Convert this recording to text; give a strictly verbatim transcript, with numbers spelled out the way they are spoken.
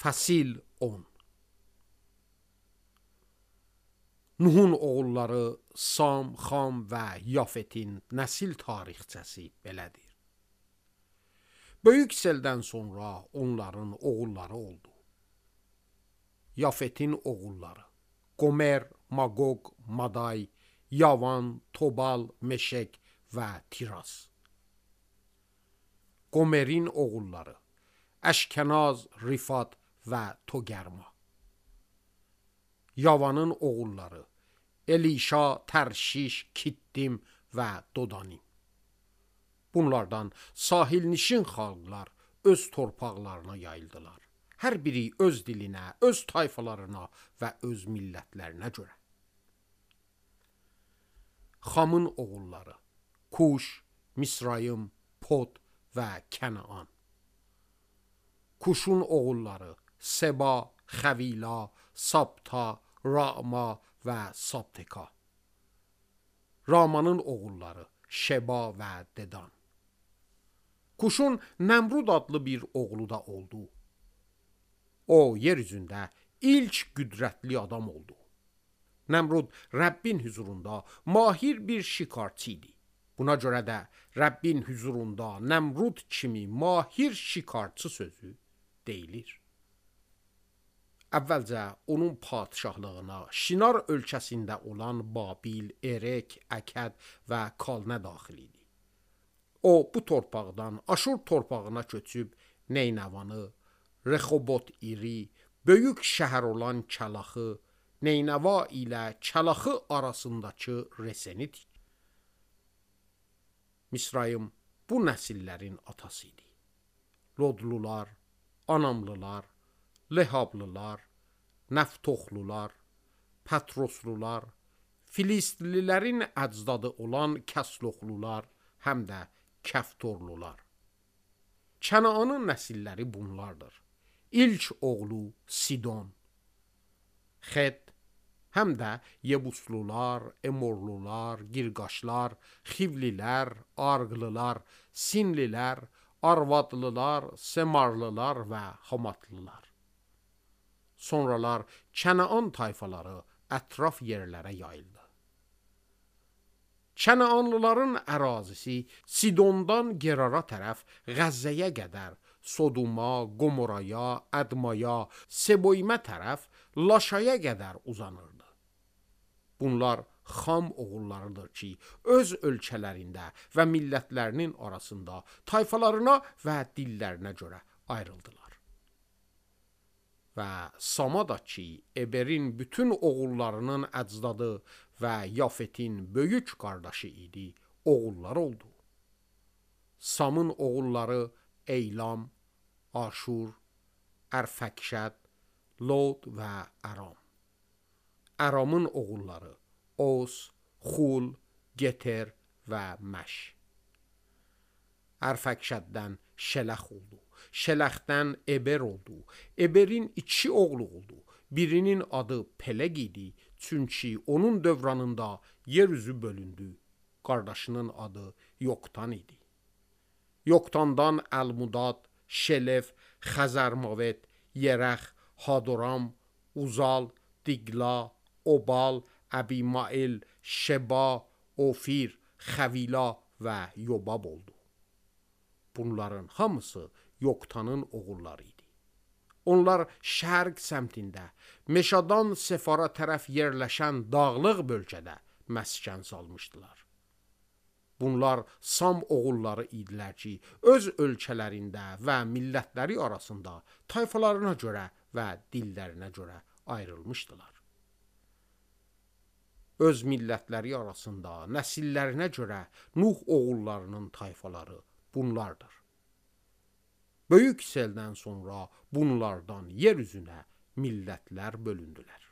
Fəsil on. Nuhun oğulları Sam, Xam və Yafetin nəsil tarixçəsi belədir. Böyük seldən sonra onların oğulları oldu. Yafetin oğulları Qomer, Magog, Maday, Yavan, Tobal, Meşek və Tiras. Qomerin oğulları Əşkənaz, Rifat və Togerma. Yavanın oğulları Elişa, Tərşiş, Kittim və Dodanim. Bunlardan sahilnişin xalqlar öz torpaqlarına yayıldılar. Hər biri öz dilinə, öz tayfalarına və öz millətlərinə görə. Xamın oğulları Kuş, Misrayım, Pod və Kənaan. Kuşun oğulları Seba, Xəvila, Sabta, Rama və Sabteka. Ramanın oğulları Şeba və Dedan. Kuşun Nəmrud adlı bir oğlu da oldu. O, yeryüzündə ilk qüdrətli adam oldu. Nəmrud Rəbbin hüzurunda mahir bir şikarçı idi. Buna görə də Rəbbin hüzurunda Nəmrud kimi mahir şikarçı sözü deyilir. Əvvəlcə onun padişahlığına Şinar ölkəsində olan Babil, Erek, Əkəd və Kalnə daxil idi. O, bu torpaqdan Aşur torpağına köçüb Neynəvanı, Rexobot iri, böyük şəhər olan Kəlaxı, Neynəva ilə Kəlaxı arasındakı Reseni tikdi. Misrayım bu nəsillərin atası idi. Lodlular, Anamlılar, Lehablılar, Nəftoxlular, Patroslular, Filistlilərin əcdadı olan Kəsloxlular, həm də Kəftorlular. Kənaanın nəsilləri bunlardır. İlk oğlu Sidon, Xet, həm də Yebuslular, Emorlular, Girqaşlar, Xivlilər, Arqlılar, Sinlilər, Arvadlılar, Semarlılar və Hamatlılar. Sonralar Kənaan tayfaları ətraf yerlərə yayıldı. Kənaanlıların ərazisi Sidondan Gerara tərəf Qəzzəyə qədər, Sodoma, Gomoraya, Ədmaya, Seboymə tərəf Laşaya qədər uzanırdı. Bunlar Xam oğullarıdır ki, öz ölkələrində və millətlərinin arasında tayfalarına və dillərinə görə ayrıldılar. Və Samada ki, Eberin bütün oğullarının əcdadı və Yafetin böyük qardaşı idi, oğullar oldu. Samın oğulları Eylam, Aşur, Ərfəkşəd, Lod və Əram. Əramın oğulları Os, Xul, Geter və Məş. Ərfəkşəddən Şələx oldu. Şələxdən Eber oldu. Eberin iki oğlu oldu. Birinin adı Peleq idi, çünki onun dövranında yeryüzü bölündü. Qardaşının adı Yoktan idi. Yoktandan Əlmudad, Şelef, Xəzərmavet, Yerəx, Hadoram, Uzal, Diqla, Obal, Əbimail, Şeba, Ofir, Xəvila və Yobab oldu. Bunların hamısı Yoktanın oğulları idi. Onlar şərq səmtində, Meşadan Sefara tərəf yerləşən dağlıq bölgədə məskən salmışdılar. Bunlar Sam oğulları idilər ki, öz ölkələrində və millətləri arasında tayfalarına görə və dillərinə görə ayrılmışdılar. Öz millətləri arasında nəsillərinə görə Nuh oğullarının tayfaları bunlardır. Böyük seldən sonra bunlardan yer üzünə millətlər bölündülər.